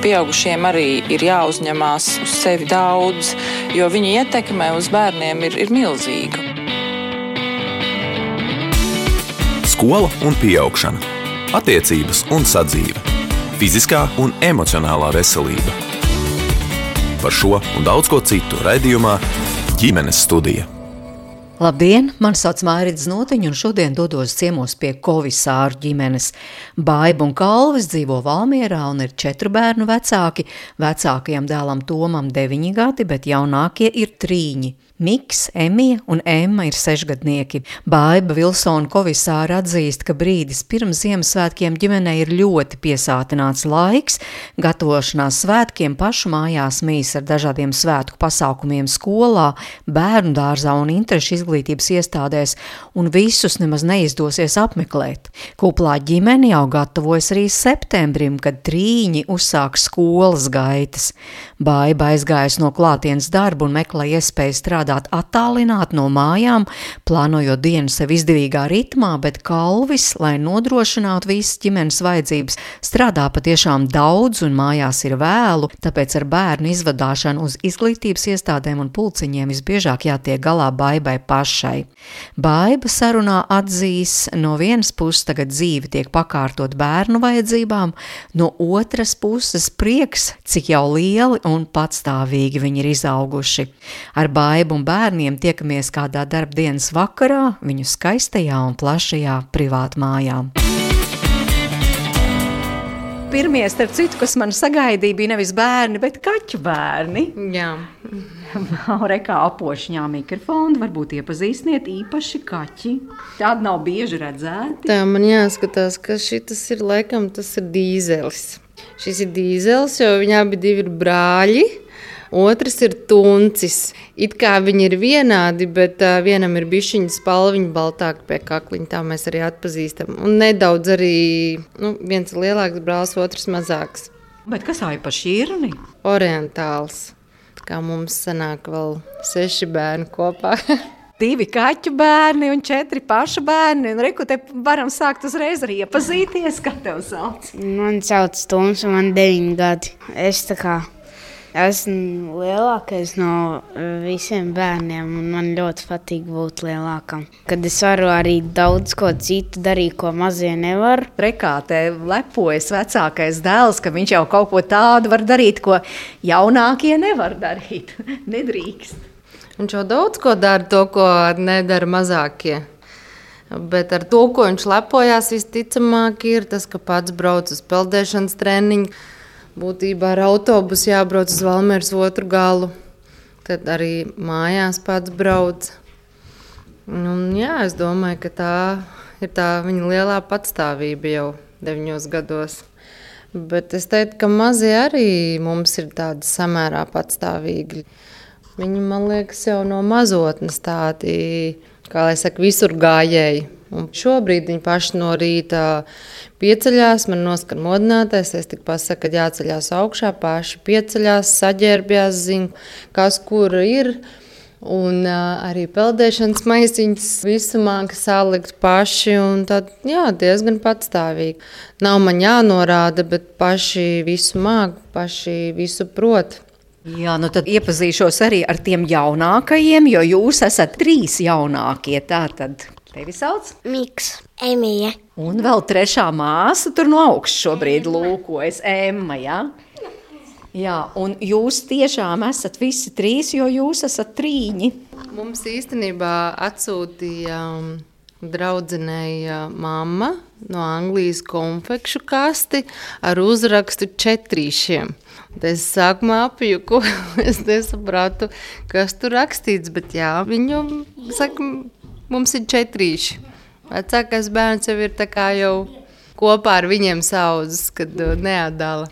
Pieaugušiem arī ir jāuzņemās uz sevi daudz, jo viņa ietekme uz bērniem ir milzīga. Skola un pieaugšana, attiecības un sadzīve, fiziskā un emocionālā veselība. Par šo un daudz ko citu raidījumā Ģimenes studija. Labdien, mani sauc Mairita Znotiņa un šodien dodos ciemos pie Kovisāru ģimenes. Baiba un Kalvis dzīvo Valmierā un ir 4 bērnu vecāki. Vecākajam dēlam Tomam 9 gadi, bet jaunākie ir 3. Miks, Emija un Emma ir 6-gadnieki. Baiba Vilsona Kovisāra atzīst, ka brīdis pirms Ziemassvētkiem ģimenei ir ļoti piesātināts laiks, gatavošanās svētkiem pašu mājās mīs ar dažādiem svētku pasākumiem skolā, bērnu dārzā un interešu izglītības iestādēs, un visus nemaz neizdosies apmeklēt. Kuplā ģimene jau gatavojas arī septembrim, kad trīņi uzsāks skolas gaitas. Baiba aizgājas no klātienes darba un meklē iespēju strādāt attālināt no mājām, plānojot dienu sev izdevīgā ritmā, bet Kalvis, lai nodrošinātu visas ģimenes vajadzības, strādā patiešām daudz un mājās ir vēlu, tāpēc ar bērnu izvadāšanu uz izglītības iestādēm un pulciņiem visbiežāk jātiek galā Baibai pašai. Baiba sarunā atzīs, no vienas puses tagad dzīve tiek pakārtot bērnu vajadzībām, no otras puses prieks, cik jau lieli un patstāvīgi viņi ir izauguši. Ar Baibu un bērniem tiekamies kādā darbdienas vakarā viņu skaistajā un plašajā privātmājā. Pirmie, starp citu, kas man sagaidīja, bija nevis bērni, bet kaķu bērni. Jā. Rekā apošņā mikrofonu, varbūt iepazīstiniet īpaši kaķi. Tādi nav bieži redzēti. Tā man jāskatās, ka šitas ir laikam, tas ir dīzelis. Šis ir dīzelis, jo viņi abi divi ir brāļi. Otrs ir tuncis. It kā viņi ir vienādi, bet vienam ir bišķiņa spalviņa baltāka pie kakliņa, tā mēs arī atpazīstam. Un nedaudz arī, viens ir lielāks brālis, otrs mazāks. Bet kas aipa šķirni? Orientāls. Kā mums sanāk vēl 6 bērni kopā. 2 kaķu bērni un 4 pašu bērni. Un reku, te varam sākt uzreiz arī iepazīties, kā tev sauc. Man sauc Toms un man 9 gadi. Esmu lielākais no visiem bērniem, un man ļoti patīk būt lielākam. Kad es varu arī daudz ko citu darīt, ko mazie nevar. Rekā te lepojas vecākais dēls, ka viņš jau kaut ko tādu var darīt, ko jaunākie nevar darīt. Nedrīkst. Viņš jau daudz ko dara, to, ko nedara mazākie. Bet ar to, ko viņš lepojās, visticamāk ir tas, ka pats brauc uz peldēšanas treniņu. Būtībā ar autobusu jābrauc uz Valmieras otru galu, tad arī mājās pats brauc. Es domāju, ka tā ir tā viņa lielā patstāvība jau 9 gados. Bet es teiktu, ka mazie arī mums ir tādi samērā patstāvīgi. Viņi, man liekas, jau no mazotnes tādi, kā lai saka, visur gājēji. Un šobrīd viņi paši no rīta pieceļās, man noskan modinātais, es tik pasaku, ka jāceļās augšā, paši pieceļās, saģērbjās, zina, kas kur ir. Un arī peldēšanas maisiņas visu māka salikt paši, un tad, diezgan patstāvīgi. Nav man jānorāda, bet paši visu māka, paši visu prot. Jā, tad iepazīšos arī ar tiem jaunākajiem, jo jūs esat 3 jaunākie, tātad. Tevi sauc? Miks, Emija. Un vēl 3. māsa tur no augšas šobrīd lūkojas, Emma, jā? Jā, un jūs tiešām esat visi 3, jo jūs esat 3. Mums īstenībā atsūtīja draudzenei mamma no Anglijas konfekšu kasti ar uzrakstu 4. Es sākumā apjuku, es nesapratu, kas tur rakstīts, bet viņu saka, mums ir 4. Vecākais bērns jau ir tā kā jau kopā ar viņiem saudzes, kad neatdala.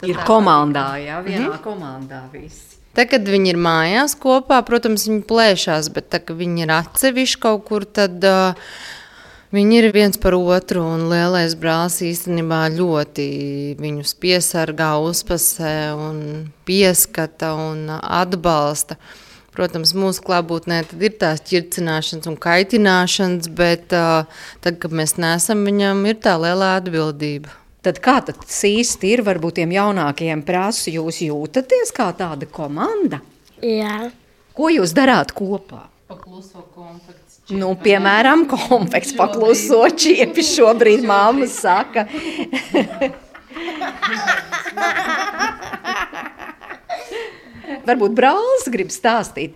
Ir komandā, vienā komandā visi. Tad, kad viņi ir mājās kopā, protams, viņi plēšās, bet tā, kad viņi ir atsevišķi kaut kur, tad viņi ir viens par otru, un lielais brālis īstenībā ļoti viņus piesargā, uzpasē un pieskata un atbalsta. Protams, mūsu klātbūtnē tad ir tās ķircināšanas un kaitināšanas, bet tad, kad mēs neesam, viņam ir tā lielā atbildība. Tad kā tas īsti ir? Varbūt tiem jaunākajiem prasu, jūs jūtaties kā tāda komanda? Jā. Ko jūs darāt kopā? Pakluso konfekts. Nu, piemēram, konfekts pakluso čiepi šobrīd māma saka. Varbūt brālis grib stāstīt.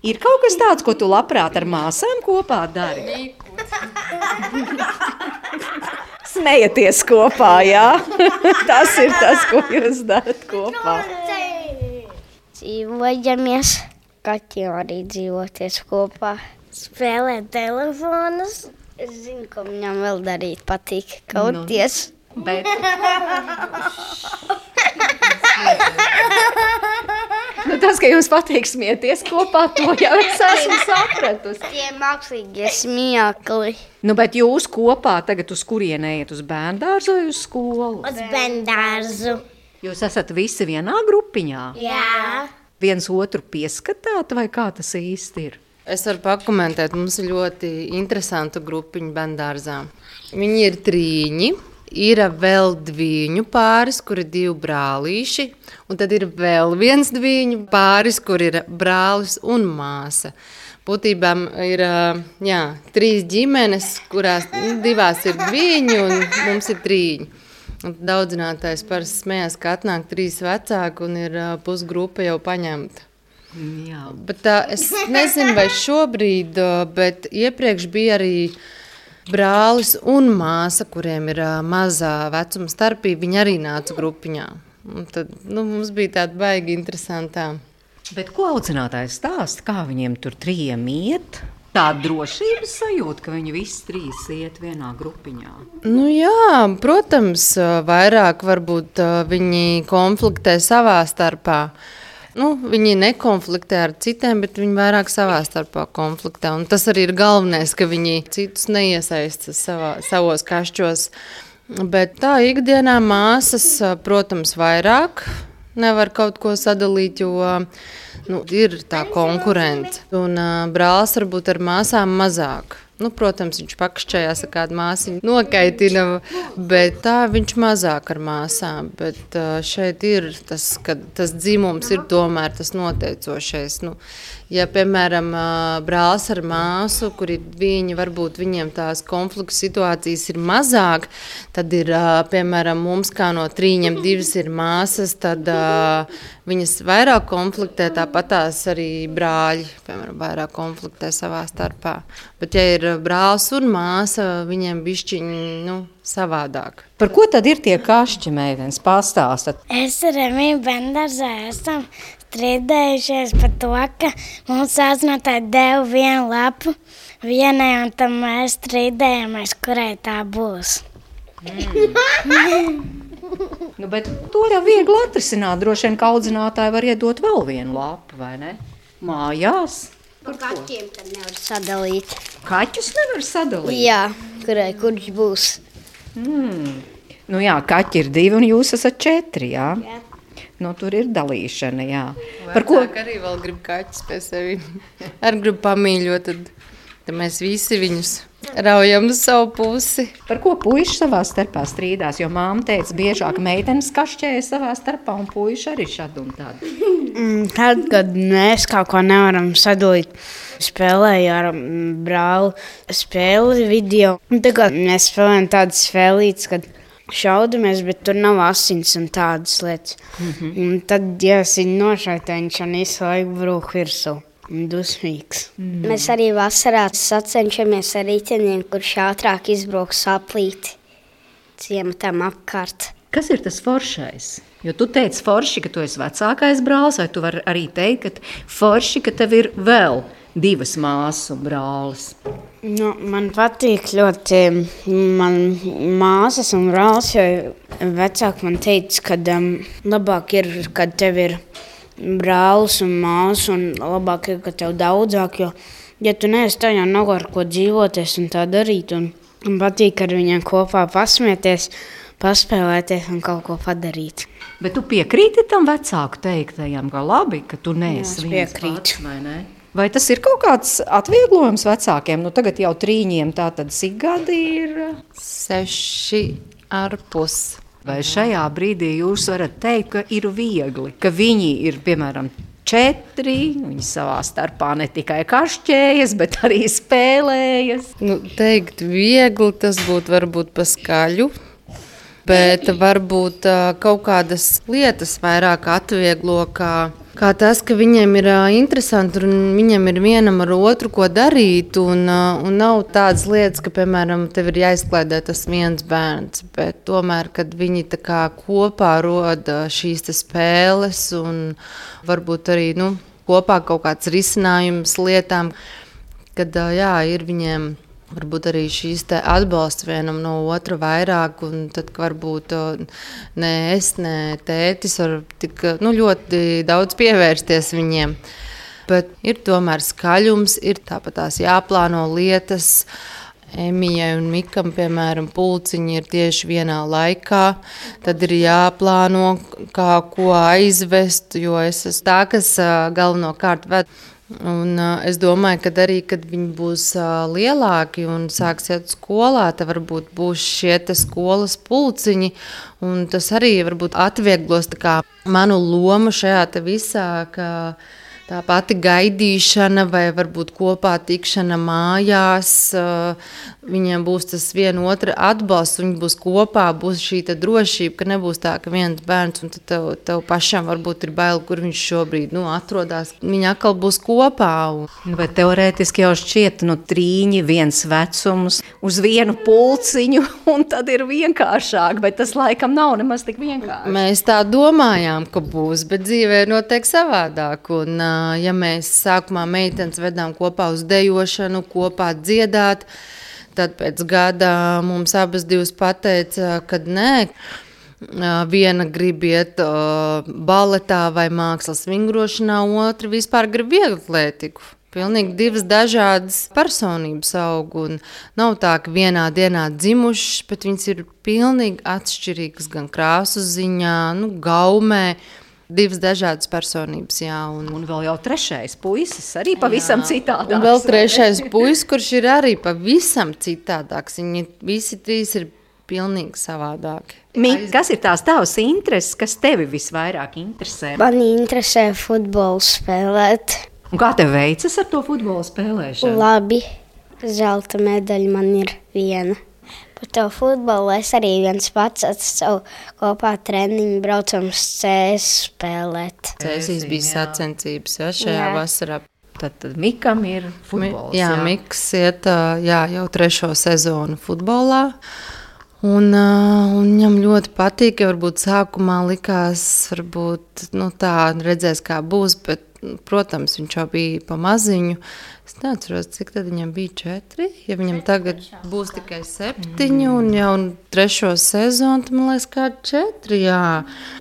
Ir kaut kas tāds, ko tu labprāt ar māsām kopā dari? Smējaties kopā, jā? Tas ir tas, ko jūs darat kopā. Dzīvojamies. Kaķiem arī dzīvoties kopā. Spēlēt telefonus. Es zinu, ko viņam vēl darīt patīk. Kauties. Bet... Nu, tas, ka jums patīk smieties kopā, to jau es esmu sapratusi. Tie mākslīgie smiekli. Nu, bet jūs kopā tagad uz kurieni ejat? Uz bērndārzu vai uz skolu? Uz bērndārzu. Jūs esat visi vienā grupiņā? Jā. Viens otru pieskatāt, vai kā tas īsti ir? Es varu pakomentēt, mums ir ļoti interesanta grupiņa bērndārzā. Viņi ir 3. Ir vēl 2 pāris, kur ir 2 brālīši, un tad ir vēl viens 2 pāris, kur ir brālis un māsa. Būtībā ir 3 ģimenes, kurās 2 ir 2 un mums ir 3. Un daudzinātājs parasti smējās, ka atnāk 3 vecāki un ir pusgrupa jau paņemta. Jā. Bet es nezinu, vai šobrīd, bet iepriekš bija arī brālis un māsa, kuriem ir mazā vecuma starpība, viņi arī nāca grupiņā. Un tad mums bija tāda baigi interesantā. Bet ko audzinātājs stāsta, kā viņiem tur 3 iet? Tāda drošības sajūta, ka viņi visi 3 iet vienā grupiņā. Nu jā, protams, vairāk varbūt viņi konfliktē savā starpā. Viņi nekonfliktē ar citiem, bet viņi vairāk savā starpā konfliktē. Un tas arī ir galvenais, ka viņi citus neiesaista savos kašķos. Bet tā ikdienā māsas, protams, vairāk nevar kaut ko sadalīt, jo ir tā konkurence. Un brālis varbūt ar māsām mazāk. Protams, viņš pakšķējās ar kādu māsiņu nokaitina, bet tā viņš mazāk ar māsām. Bet šeit ir tas, ka tas dzimums ir tomēr tas noteicošais. Ja, piemēram, brālis ar māsu, kur ir varbūt viņiem tās konfliktu situācijas ir mazāk, tad ir, piemēram, mums kā no 3 2 ir māsas, tad viņas vairāk konfliktē, tāpat tās arī brāļi, piemēram, vairāk konfliktē savā starpā. Bet, ja ir brālis un māsa, viņiem bišķiņi, savādāk. Par ko tad ir tie kašķi, meitenes, pastāstat? Es ar Emīlu bērndārzā esam strīdējušies par to, ka mums audzinātāji deva 1 lapu vienai, un tad mēs strīdējamies, kurai tā būs. Bet to jau viegli atrisināt. Droši vien, ka audzinātāji var iedot vēl 1 lapu, vai ne? Mājās. Par kaķiem tad nevar sadalīt. Kaķus nevar sadalīt? Jā, kurš būs. Jā, kaķi ir 2 un jūs esat 4, jā? Jā. Tur ir dalīšana, jā. Par ko? Arī vēl grib kaķus pie sevi. Arī grib pamīļot, tad mēs visi viņus raujam uz savu pusi. Par ko puiši savā starpā strīdās? Jo māma teica, biežāk meitenes kašķēja savā starpā un puiši arī šad un tad. Tad, kad mēs kaut ko nevaram sadalīt, spēlēju ar brāli spēli video. Tagad mēs spēlējam tādas spēlītes, kad šaudamies, bet tur nav asins un tādas lietas. Un tad, ja es viņu nošaitēju, viņš un visu laiku brūk virsū. Dusmīgs. Mēs arī vasarā sacenšamies ar riteņiem, kurš ātrāk izbrauks aplīti ciematam apkārt. Kas ir tas foršais? Jo tu teici forši, ka tu esi vecākais brālis, vai tu vari arī teikt, ka forši, ka tev ir vēl 2 māsas un brālis? Man patīk ļoti man māsas un brālis, jo vecāki man teica, ka labāk ir, kad tev ir brālis un māsas, un labāk ir, ka tev daudzāk, jo, ja tu neesi tā, jau nav ar ko dzīvoties un tā darīt, un patīk ar viņiem kopā pasmieties, paspēlēties un kaut ko padarīt. Bet tu piekrīti tam vecāku teiktajam, ka labi, ka tu neesi viens pats, vai ne? Vai tas ir kaut kāds atvieglojums vecākiem? Tagad jau 3, tātad cik gadi ir? 6,5. Vai šajā brīdī jūs varat teikt, ka ir viegli, ka viņi ir, piemēram, 4, viņi savā starpā ne tikai kašķējas, bet arī spēlējas? Teikt viegli, tas būtu varbūt paskaļu, bet varbūt kaut kādas lietas vairāk atvieglo, kā tas, ka viņiem ir interesanti un viņiem ir vienam ar otru ko darīt. Un nav tādas lietas, ka, piemēram, tev ir jāizklaidē tas viens bērns, bet tomēr, kad viņi tā kā kopā roda šīs spēles un varbūt arī kopā kaut kāds risinājums lietām, kad ir viņiem varbūt arī šīs atbalsts vienam no otra vairāk, un tad varbūt ne es, ne tētis var tik ļoti daudz pievērsties viņiem. Bet ir tomēr skaļums, ir tāpat tās jāplāno lietas. Emijai un Mikam, piemēram, pulciņi ir tieši vienā laikā. Tad ir jāplāno, kā ko aizvest, jo es esmu tā, kas galvenokārt ved. Un es domāju, ka arī, kad viņi būs lielāki un sāks iet skolā, tad varbūt būs šie skolas pulciņi, un tas arī varbūt atvieglos manu lomu šajā visā, ka tā pati gaidīšana vai varbūt kopā tikšana mājās, viņiem būs tas viena otra atbalsts, viņi būs kopā, būs šī drošība, ka nebūs tā, ka viens bērns un tev pašam varbūt ir bail, kur viņš šobrīd atrodas. Viņi atkal būs kopā. Bet teorētiski jau šķiet, 3, viens vecums uz vienu pulciņu, un tad ir vienkāršāk, bet tas laikam nav nemaz tik vienkārši. Mēs tā domājām, ka būs, bet dzīvē notiek savādāk. Un, ja mēs sākumā meitenes vedām kopā uz dejošanu, kopā dziedāt, tad pēc gada mums abas divas pateica, ka nē, viena grib iet baletā vai mākslas vingrošanā, otra vispār grib vieglatlētiku. Pilnīgi divas dažādas personības aug, un nav tā, ka vienā dienā dzimušas, bet viņas ir pilnīgi atšķirīgas gan krāsu ziņā, gaumē. Divas dažādas personības, jā. Un vēl jau trešais puisis arī pavisam citādāks. Un vēl trešais puisis, kurš ir arī pavisam citādāks. Viņi visi trīs ir pilnīgi savādāki. Kas ir tās tavas intereses, kas tevi visvairāk interesē? Man interesē futbolu spēlēt. Un kā tev veicas ar to futbolu spēlēšanu? Labi. Zelta medaļa man ir viena. Par to futbolu es arī viens pats savu kopā treniņu braucam uz CS spēlēt. CS bija sacensības šajā vasarā. Tad Mikam ir futbols. Jā, Miks iet jau 3. sezonu futbolā. Un viņam ļoti patīk, ja varbūt sākumā likās, varbūt tā redzēs, kā būs, bet, protams, viņš jau bija pa maziņu. Es neatceros, cik tad viņam bija 4, ja viņam tagad būs tikai 7 un jau 3. sezonu, tad man liekas kā 4, jā.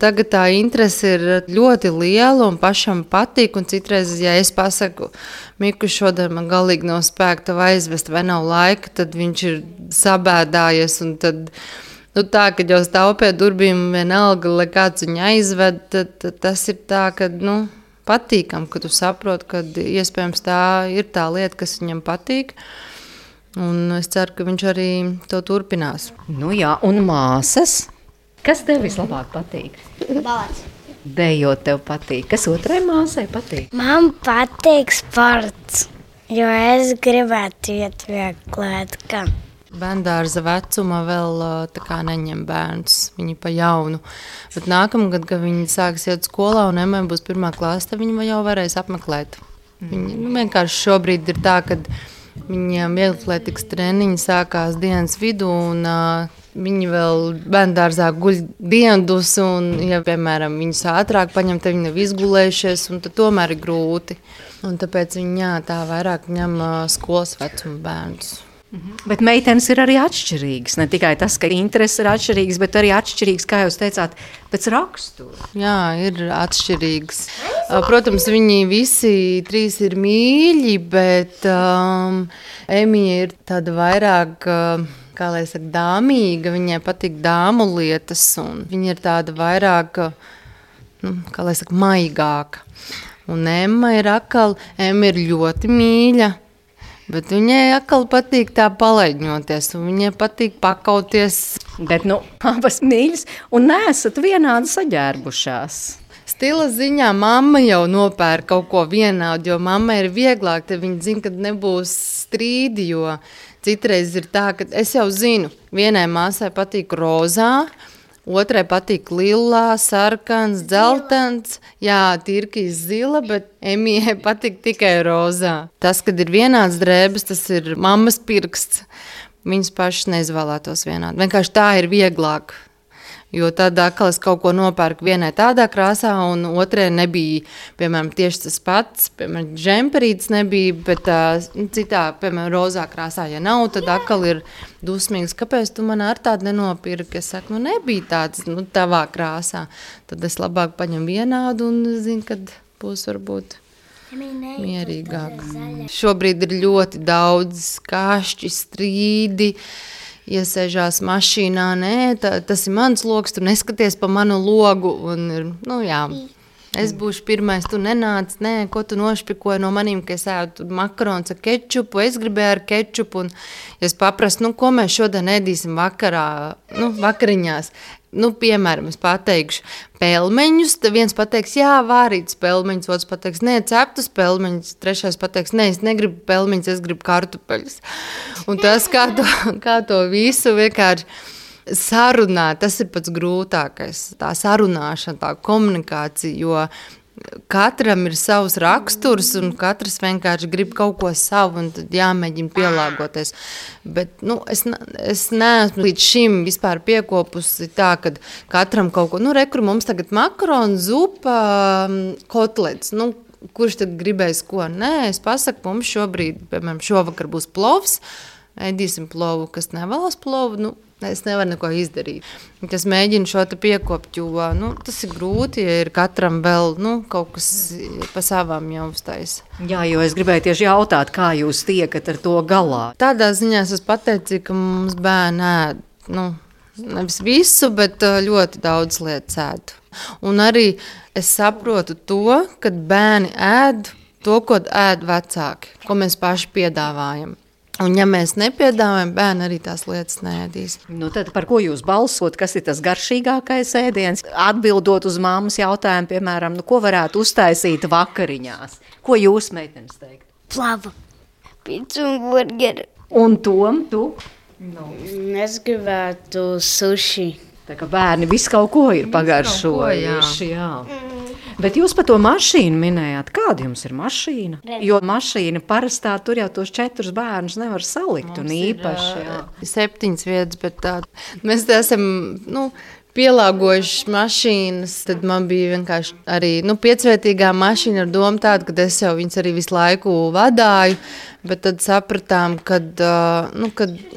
Tagad tā interese ir ļoti liela un pašam patīk, un citreiz, ja es pasaku, Miku, šodien man galīgi nav spēka tev aizvest vai nav laika, tad viņš ir sabēdājies, un tad tā, kad jau stāv pie durvīm vienalga, lai kāds viņu aizved, tad tas ir tā, ka, patīkam, ka tu saproti, ka iespējams tā ir tā lieta, kas viņam patīk. Un es ceru, ka viņš arī to turpinās. Jā, un māsas? Kas tev vislabāk patīk? Balets. Dejot tev patīk. Kas otrai māsai patīk? Man patīk sports, jo es gribētu iet vieglatlētikā. Bērndārza vecuma vēl neņem bērnus, viņi pa jaunu. Bet nākamgad, kad viņi sāks iet skolā un Emmai būs 1. klase, tad viņi jau varēs apmeklēt. Viņi vienkārši šobrīd ir tā, ka viņiem vieglatlētikas treniņi sākās dienas vidū, un viņi vēl bērndārzā guļ diendus, un, ja, piemēram, viņus ātrāk paņem, tad viņi nav izgulējušies, un tad tomēr ir grūti. Un tāpēc viņi tā vairāk ņem skolas vecuma bērnus. Bet meitenes ir arī atšķirīgas. Ne tikai tas, ka intereses ir atšķirīgas, bet arī atšķirīgas, kā jūs teicāt, pēc rakstura. Jā, ir atšķirīgas. Protams, viņi visi 3 ir mīļi, bet Emija ir tāda vairāk, kā lai saka, dāmīga. Viņai patīk dāmu lietas, un viņa ir tāda vairāk, kā lai saka, maigāka. Un Emma ir atkal, Emma ir ļoti mīļa. Bet viņai atkal patīk tā palaidņoties, un viņai patīk pakauties. Bet, abas mīļas un neesat vienādi saģērbušās. Stila ziņā mamma jau nopērk kaut ko vienādu, jo mamma ir vieglāk, te viņa zina, ka nebūs strīdi, jo citreiz ir tā, ka es jau zinu, vienai māsai patīk rozā, otrai patīk lilā, sarkans, dzeltens, jā, tirkīs zila, bet Emijai patīk tikai rozā. Tas, kad ir vienāds drēbes, tas ir mammas pirksts. Viņas pašas neizvēlētos vienādi. Vienkārši tā ir vieglāk. Jo tad atkal es kaut ko nopērku vienai tādā krāsā, un otrai nebija, piemēram, tieši tas pats, piemēram, džemperītis nebija, bet citā, piemēram, rozā krāsā, ja nav, tad atkal ir dusmīgs, kāpēc tu man ar tādu nenopirki? Es saku, nebija tāds, tavā krāsā. Tad es labāk paņem vienādu un zinu, kad būs varbūt mierīgāk. Šobrīd ir ļoti daudz kašķi, strīdi, iesēžās mašīnā, nē, tas ir mans logs, tu neskaties pa manu logu, un, jā, es būšu pirmais, tu nenāc, nē, ko tu nošpikoji no manīm, ka es ēdu makarons ar kečupu, es gribēju ar kečupu, un ja es paprastu, ko mēs šodien ēdīsim vakarā, vakariņās, piemēram, es pateikšu pelmeņus, tad viens pateiks, jā, vārītas pelmeņus, otrs pateiks, nē, ceptus pelmeņus, trešais pateiks, nē, es negribu pelmeņus, es gribu kartupeļus. Un tas, kā to visu vienkārši sarunāt, tas ir pats grūtākais, tā sarunāšana, tā komunikācija, jo katram ir savs raksturs un katrs vienkārši grib kaut ko savu un tad jāmēģina pielāgoties. Bet, es neesmu līdz šim vispār piekopusi tā, kad katram kaut ko, rekur mums tagad makaronu, zupa, kotlets, kurš tad gribēs ko? Nē, es pasaku, mums šobrīd, piemēram, šovakar būs plovs, ēdīsim plovu, kas nevēlas plovu, es nevaru neko izdarīt. Es mēģinu šo te piekopt, jo tas ir grūti, ja ir katram vēl kaut kas pa savām jau uztaisa. Jā, jo es gribēju tieši jautāt, kā jūs tiekat ar to galā. Tādā ziņā es pateicīju, ka mums bērni ēd, nevis visu, bet ļoti daudz lietas ēd. Un arī es saprotu to, kad bērni ēd to, ko ēd vecāki, ko mēs paši piedāvājam. Un ja mēs nepiedāvājam, bērni arī tās lietas neēdīs. Tad par ko jūs balsot, kas ir tas garšīgākais ēdiens? Atbildot uz mammas jautājumu, piemēram, ko varētu uztaisīt vakariņās? Ko jūs, meitenes, teikt? Plava, pizza un burgeri. Un Tom, tu? Es gribētu suši. Tā kā bērni visu kaut ko ir pagaršojuši, jā. Bet jūs par to mašīnu minējāt. Kāda jums ir mašīna? Jo mašīna parastā tur jau tos 4 bērnus nevar salikt un īpaši. 7 vietas, bet mēs esam, pielāgojuši mašīnas, tad man bija vienkārši arī 5-vietīgā mašīna ar domu tādu, ka es jau viņas arī visu laiku vadāju, bet tad sapratām, kad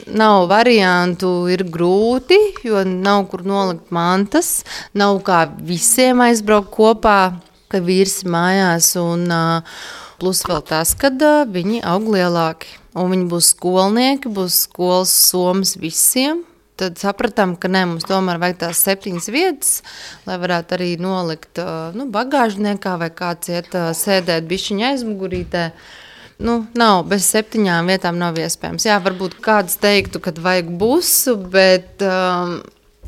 nav variantu, ir grūti, jo nav kur nolikt mantas, nav kā visiem aizbraukt kopā, ka vīrs mājās, un plus vēl tas, kad viņi aug lielāki, un viņi būs skolnieki, būs skolas somas visiem. Tad sapratām, ka mums tomēr vajag tās 7 vietas, lai varētu arī nolikt bagāžniekā vai kāds iet sēdēt bišķiņa aizmugurītē. Nav, bez 7 vietām nav iespējams. Jā, varbūt kāds teiktu, kad vajag busu, bet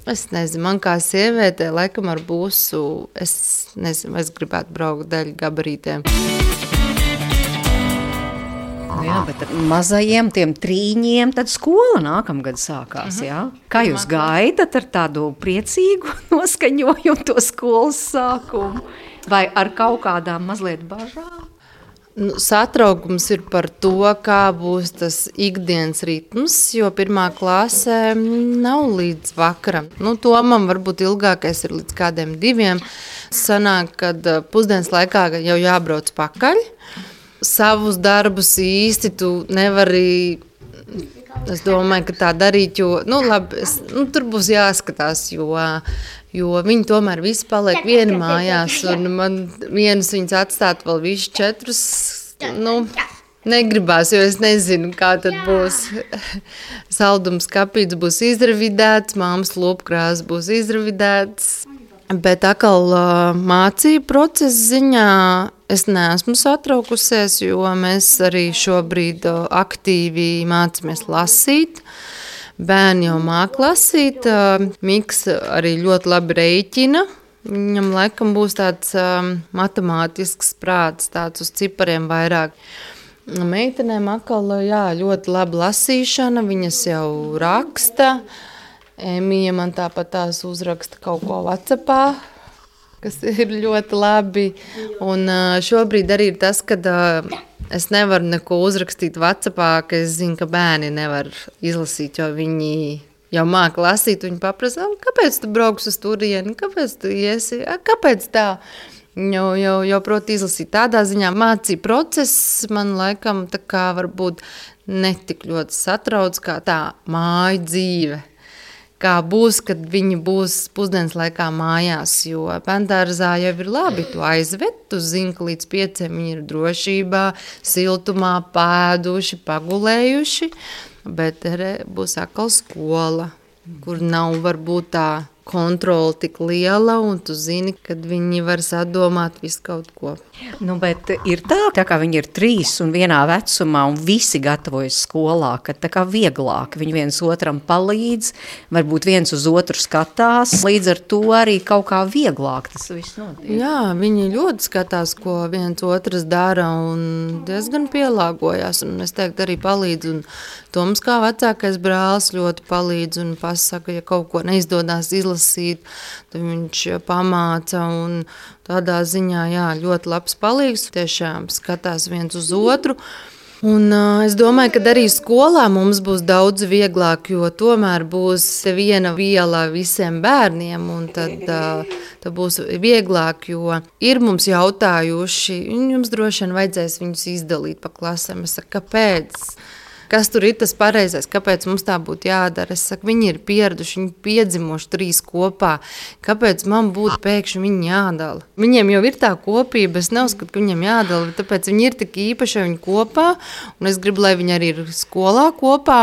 es nezinu, man kā sievietē, laikam ar busu, es nezinu, es gribētu braukt daļu gabarītēm. Jā, bet ar mazajiem tiem 3 tad skola nākamgad sākās, jā? Kā jūs gaidat ar tādu priecīgu noskaņojumu to skolas sākumu? Vai ar kaut kādām mazliet bažām? Satraukums ir par to, kā būs tas ikdienas ritms, jo 1. klasē nav līdz vakaram. Tomam varbūt ilgākais ir līdz kādiem 2. Sanāk, kad pusdienas laikā jau jābrauc pakaļ. Savus darbus īsti tu nevari, es domāju, ka tā darīt, jo, tur būs jāskatās, jo viņi tomēr visi paliek vieni mājās, un man vienas viņas atstāt vēl visu 4, negribās, jo es nezinu, kā tad būs. Saldums kapīts būs izravidēts, māmas lopkrās būs izravidēts. Bet atkal mācību procesa ziņā es neesmu satraukusies, jo mēs arī šobrīd aktīvi mācāmies lasīt. Bērni jau māca lasīt, Miks arī ļoti labi rēķina. Viņam laikam būs tāds matemātisks prāts, tāds uz cipariem vairāk. Meitenēm atkal ļoti laba lasīšana, viņas jau raksta. Emija man tāpat tās uzraksta kaut ko WhatsAppā, kas ir ļoti labi. Un šobrīd arī ir tas, ka es nevaru neko uzrakstīt WhatsAppā, ka es zinu, ka bērni nevar izlasīt, jo viņi jau māca lasīt. Viņi paprasa, kāpēc tu brauks uz turieni, kāpēc tu iesi, kāpēc tā? Jau proti izlasīt. Tādā ziņā mācību process man laikam tā kā varbūt netik ļoti satrauc kā tā māju dzīve. Kā būs, kad viņi būs pusdienas laikā mājās, jo bērndārzā jau ir labi, tu aizved, tu zini, ka līdz 5 viņi ir drošībā, siltumā, pēduši, pagulējuši, bet būs atkal skola, kur nav varbūt tā kontrola tik liela, un tu zini, kad viņi var sadomāt visu kaut ko. Bet ir tā kā viņi ir 3 un vienā vecumā, un visi gatavojas skolā, ka tā kā vieglāk viņi viens otram palīdz, varbūt viens uz otru skatās, līdz ar to arī kaut kā vieglāk tas viss notiek. Jā, viņi ļoti skatās, ko viens otrs dara, un diezgan pielāgojās, un es teiktu arī palīdz, un Toms kā vecākais brālis ļoti palīdz un pasaka, ja kaut ko neizdodās izlasīt, tad viņš pamāca, un tādā ziņā, ļoti labs palīgs, tiešām skatās viens uz otru. Un es domāju, ka arī skolā mums būs daudz vieglāk, jo tomēr būs viena viela visiem bērniem, un tad būs vieglāk, jo ir mums jautājuši, jums droši vien vajadzēs viņus izdalīt pa klasēm. Es saku, kāpēc? Kas tur ir tas pareizais, kāpēc mums tā būtu jādara? Es saku, viņi ir pieraduši, viņi piedzimuši 3 kopā. Kāpēc man būtu pēkšņi viņi jādala? Viņiem jau ir tā kopība, es neuzskatu, ka viņiem jādala, tāpēc viņi ir tik īpaši viņi kopā, un es gribu, lai viņi arī ir skolā kopā.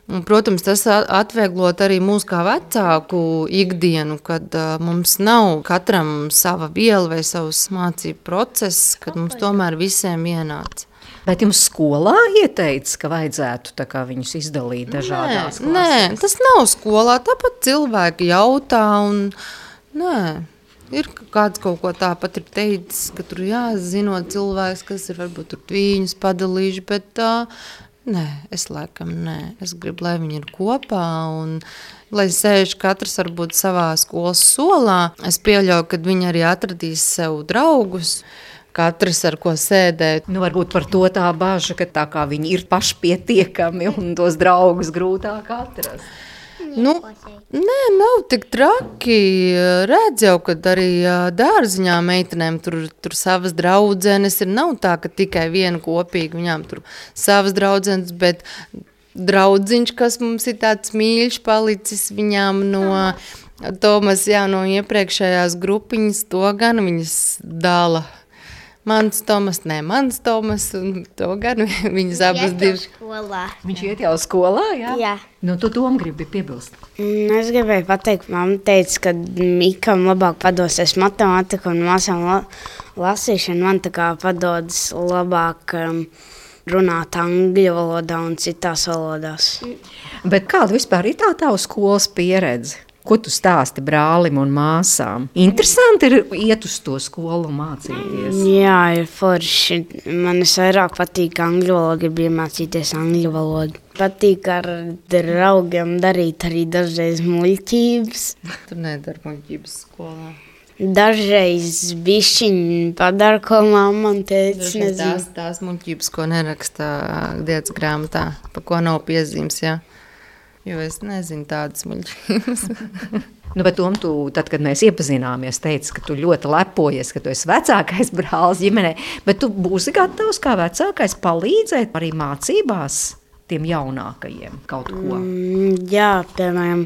Un, protams, tas atvieglot arī mūsu kā vecāku ikdienu, kad mums nav katram sava viela vai savs mācību process, kad mums tomēr visiem vienāds. Bet jums skolā ieteica, ka vajadzētu tā kā viņus izdalīt dažādās klasēs? Nē, tas nav skolā, tāpat cilvēki jautā, un nē, ir kāds kaut ko tāpat ir teicis, ka tur jāzinot cilvēks, kas ir varbūt tur viņus padalījuši, bet nē, es laikam nē, es gribu, lai viņi ir kopā, un lai sēž katrs varbūt savā skolas solā. Es pieļauju, ka viņi arī atradīs sev draugus, katrs ar ko sēdēt. Varbūt par to tā baža, ka tā kā viņi ir pašpietiekami un tos draugus grūtāk atrast. Nē, nav tik traki. Redz jau, kad arī dārziņā meitenēm tur savas draudzenes ir. Nav tā, ka tikai viena kopīga, viņām tur savas draudzenes, bet draudziņš, kas mums ir tāds mīļš palicis viņām no Tomas, no iepriekšējās grupiņas, to gan viņas dala. Mans Tomas, un to gan viņas abas divas. Viņš iet jau skolā, jā? Jā. Tu Tom gribi piebilst. Es gribēju pateikt, mamma teica, ka Mikam labāk padosies matemātika un māsām lasīšana. Man tā kā padodas labāk runāt angļu valodā un citās valodās. Bet kāda vispār ir tā tava skolas pieredze? Ko tu stāsti brālim un māsām? Interesanti ir iet uz to skolu un mācīties. Jā, ir forši. Man vairāk patīk angļu valoda, gribu iemācīties angļu valodu. Patīk ar draugiem darīt arī dažreiz muļķības. Tur nedara muļķības skolā. Dažreiz bišķiņi padara, ko mamma un teica, nezinu. Tās muļķības, ko neraksta dienas grāmatā, pa ko nav piezīmes, Jo es nezinu tādas muļķības. Bet Tom, tad, kad mēs iepazināmies, teici, ka tu ļoti lepojies, ka tu esi vecākais brālis ģimenē, bet tu būsi gatavs kā vecākais palīdzēt arī mācībās tiem jaunākajiem kaut ko? Jā, piemēram,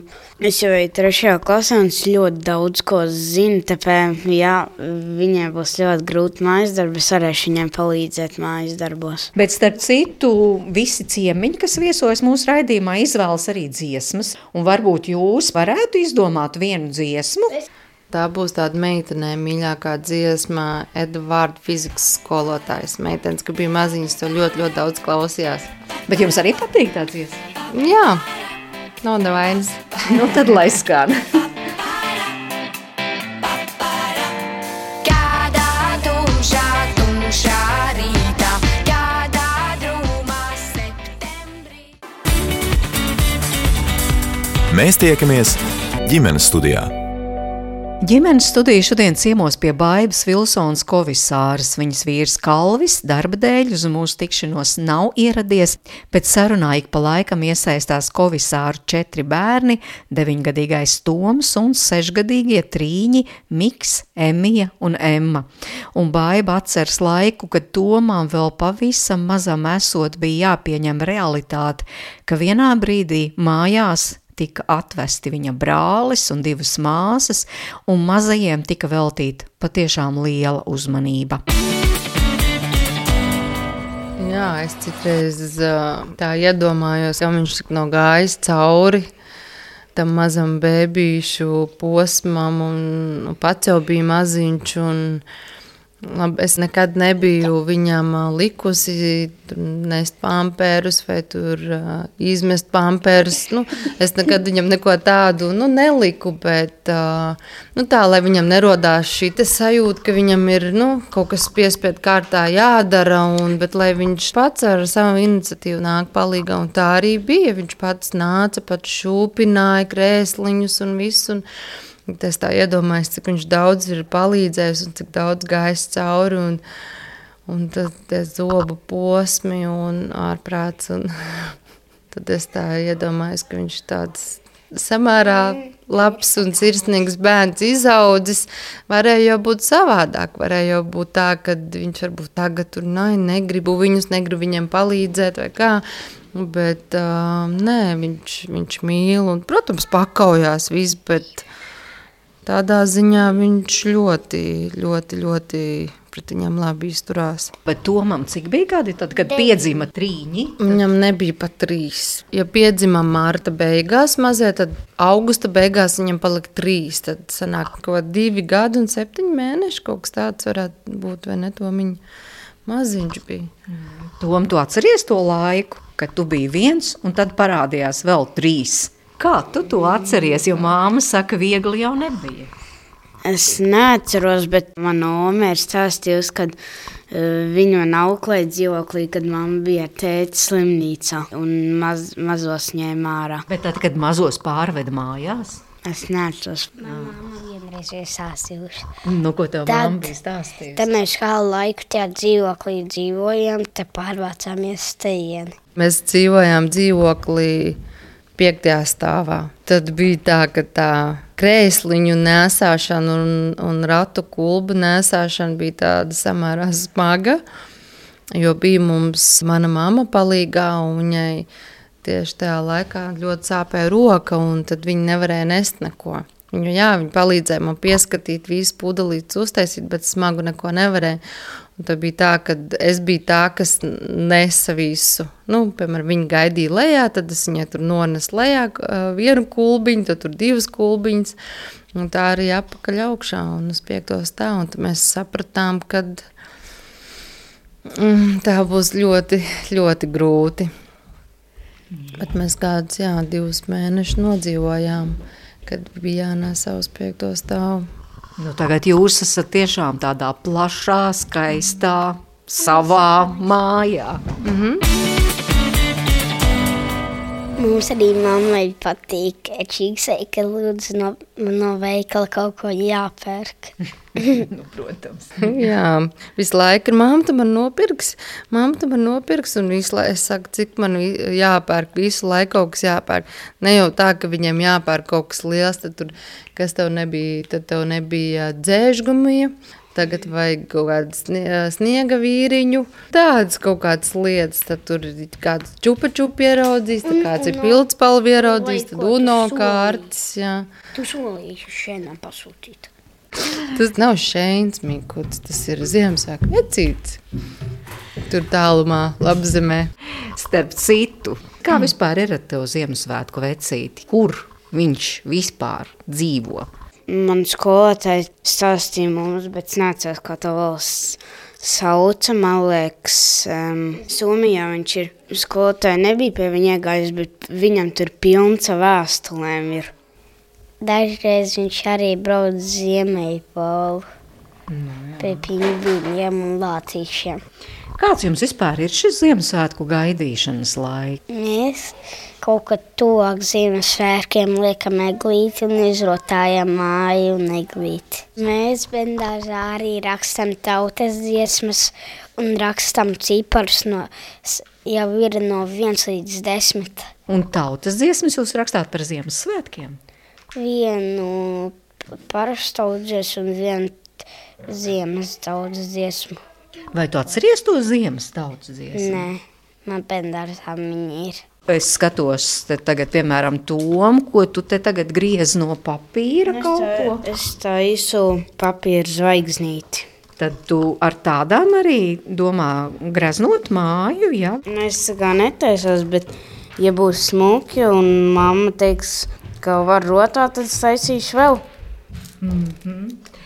es jau eju 3. klasē un es ļoti daudz ko zinu, tāpēc, viņiem būs ļoti grūti mājas darbi, es varēšu viņiem palīdzēt mājas darbos. Bet starp citu, visi ciemiņi, kas viesojas mūsu raidījumā, izvēlas arī dziesmas, un varbūt jūs varētu izdomāt vienu dziesmu? Tā būs tāda meitenē mīļākā dziesma Edvarda fizikas skolotājas meitenes, ka bija maziņas, to ļoti, ļoti daudz klausījās. Bet jums arī patīk tā dziesma? Jā, nav nevainas. Nu tad lai skan. Mēs tiekamies ģimenes studijā. Ģimenes studija šodien ciemos pie Baibas Vilsonas Kovisāras. Viņas vīrs Kalvis darba dēļ uz mūsu tikšanos nav ieradies, pēc sarunā ik pa laikam iesaistās Kovisāru 4 bērni, 9-gadīgais Toms un 6-gadīgie trīņi Miks, Emija un Emma. Un Baiba atceras laiku, kad Tomam vēl pavisam mazam esot bija jāpieņem realitāte, ka vienā brīdī mājās tika atvesti viņa brālis un 2 māsas, un mazajiem tika veltīta patiešām liela uzmanība. Jā, es citreiz tā iedomājos, ka viņš nav gājis cauri tam mazam bēbīšu posmam, un pats jau bija maziņš, un labi, es nekad nebiju viņam likusi nest pamperus vai tur izmest pamperus. Es nekad viņam neko tādu neliku, bet tā, lai viņam nerodās šī sajūta, ka viņam ir kaut kas piespiedu kārtā jādara, bet lai viņš pats ar savu iniciatīvu nāk palīgā, un tā arī bija. Viņš pats nāca, pats šūpināja krēsliņus un visu, es tā iedomājos, cik viņš daudz ir palīdzējis un cik daudz gājis cauri, un tad tie zobu posmi un ārprāts, un tad es tā iedomājos, ka viņš tāds samērā labs un sirsnīgs bērns izaudzis. Varēja jau būt savādāk, varēja jau būt tā, ka viņš varbūt tagad tur negribu viņam palīdzēt vai kā, bet nē, viņš mīl un, protams, pakaujās viss, bet tādā ziņā viņš ļoti, ļoti, ļoti pret viņam labi izturās. Bet Tomam cik bija gadi tad, kad piedzima trīņi? Viņam nebija pat 3. Ja piedzima marta beigās mazie, tad augusta beigās viņam palika 3. Tad sanāk kaut 2 gadi un 7 mēneši, kaut kas tāds varētu būt, vai ne, Tomiņa maziņš bija. Tom, tu atceries to laiku, kad tu biji 1 un tad parādījās vēl 3? Kā tu to atceries, jo māma saka, viegli jau nebija? Es neatceros, bet mana oma ir stāstījusi, kad viņa man auklēja dzīvoklī, kad mamma bija tēta slimnīcā un mazos ņēma ārā. Bet tad, kad mazos pārveda mājās? Es neatceros. Mamma vienreiz ir stāstījuši. Ko tev mamma bija stāstījusi? Tad mēs kādu laiku tajā dzīvoklī dzīvojam, te pārvācāmies tejieni. Mēs dzīvojām dzīvoklī 5. stāvā. Tad bija tā, ka tā krēsliņu nēsāšana un ratu kulbu nēsāšana bija tāda samērā smaga, jo bija mums mana mamma palīgā, un viņai tieši tajā laikā ļoti sāpēja roka, un tad viņa nevarēja nest neko. Viņa palīdzēja man pieskatīt visu pudelītes uztaisīt, bet smagu neko nevarēja. Un tad bija tā, ka es biju tā, kas nesa visu. Piemēram, viņa gaidīja lejā, tad es viņai tur nonesu lejā 1 kulbiņu, tad tur 2 kulbiņas. Un tā arī apakaļ augšā un uz 5. stāvu. Un tad mēs sapratām, ka tā būs ļoti, ļoti grūti. Bet mēs kādus 2 mēnešus nodzīvojām, kad bija jānesa uz 5. stāvu. Tagad jūs esat tiešām tādā plašā, skaistā, savā mājā. Mums arī mammai patīk čīksei, ka lūdzu no veikala kaut ko jāpērk. Protams. Jā, visu laiku ir mamma, tu man nopirks, un visu laiku es saku, cik man jāpērk, visu laiku kaut kas jāpērk. Ne jau tā, ka viņiem jāpērk kaut kas liels, tad tur, kas tev nebija, tad tev nebija dzēžgumija, tagad vajag kaut kādu sniega vīriņu, tādas kaut kādas lietas, tad tur ir kāds čupa-čupa ieraudzīs, tad kāds ir pildspalvi ieraudzīs, tad uno kārtas, jā. Tu solīšu šienam pasūtīt. Tas nav šeins, Mikuts, tas ir Ziemassvētku vecītis. Tur tālumā, Labzemē. Starp citu, kā vispār ir ar tev Ziemassvētku vecīti? Kur viņš vispār dzīvo? man skolotāji stāstīja mums, bet es neatceros, kā to valsts sauca, man liekas, Somijā viņš ir. Skolotāji nebija pie viņa iegājis, bet viņam tur pilns ar vēstulēm ir. Dažreiz viņš arī brauc Ziemeļpolu pie pingvīniem un lācīšiem. Kāds jums vispār ir šis Ziemassvētku gaidīšanas laiks? Mēs kaut kad tuvāk Ziemassvētkiem liekam eglīti un izrotājam māju un eglīti. Mēs bērndārzā arī rakstam tautas dziesmas un rakstam ciparus jau ir no 1 līdz 10. Un tautas dziesmas jūs rakstāt par Ziemassvētkiem? Vienu parastu tautas dziesmu un vienu ziemas tautas dziesmu. Vai tu atceries to ziemas tautas dziesmu? Nē, man bērndārzā viņi ir. Es skatos te tagad, piemēram, Tomu, ko tu te tagad griez no papīra kaut ko. Es taisu papīra zvaigznīti. Tad tu ar tādām arī domā greznot māju, ja? Es kā netaisos, bet ja būs smuki un mamma teiks, ka var rotāt, tad es taisīšu vēl.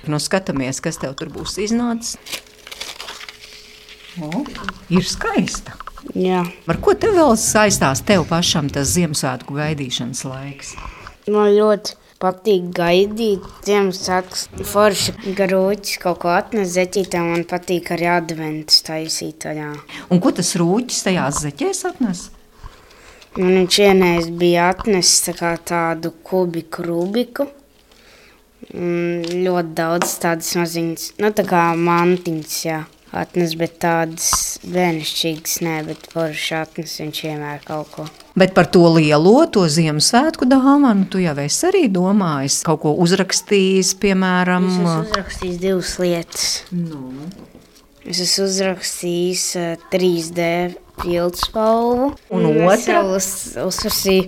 Nu, skatāmies, kas tev tur būs iznācis. O, ir skaista. Jā. Ar ko tev vēl saistās tev pašam tas Ziemassvētku gaidīšanas laiks? Man ļoti patīk gaidīt Ziemassvētkus. Forši garūķis kaut ko atnes zeķītē, man patīk arī adventus taisīt. Jā. Un ko tas rūķis tajās zeķēs atnes? Man viņš vienreiz bija atnesis tādu kubiku Rubiku. Ļoti daudz tādas maziņas, tā kā mantiņas, jā. Atnes, bet tādas bērnišķīgas nē, bet forši atnes viņš vienmēr kaut ko. Bet par to lielo, to Ziemassvētku dāvanu, tu jau esi arī domājis, kaut ko uzrakstījis, piemēram? Es esmu uzrakstījis 2 lietas. Es esmu uzrakstījis 3D pildspalvu. Un otra? Es uzprasīju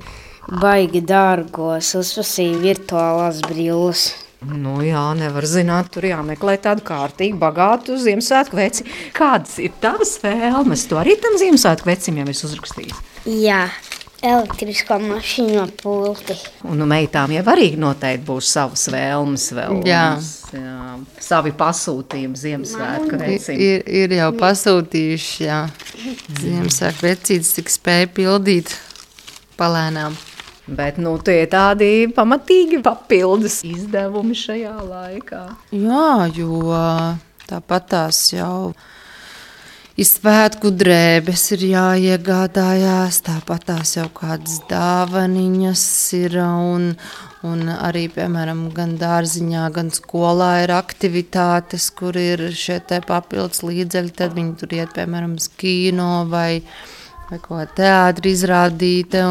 baigi dārgos, uzprasīju virtuālās brilles. Nu jā, nevar zināt, tur jāmeklē tādu kārtīgu, bagātu Ziemassvētku veci. Kādas ir tavas vēlmes? Tu arī tam Ziemassvētku vecim jau esi uzrakstījis? Jā, elektrisko mašīnu pulti. Un meitām jau arī noteikti būs savas vēlmes vēl. Jā. Savi pasūtījumi Ziemassvētku vecim. Ir jau pasūtījuši, jā. Ziemassvētku vecītes tik spēja pildīt palēnām. Bet tie tādi pamatīgi papildus izdevumi šajā laikā. Jā, jo tāpat tās jau ir svētku drēbes ir jāiegādājās, tāpat tās jau kādas dāvaniņas ir un arī, piemēram, gan dārziņā, gan skolā ir aktivitātes, kur ir šie te papildus līdzekļi, tad viņi tur iet, piemēram, uz kino vai ko teātri izrādīte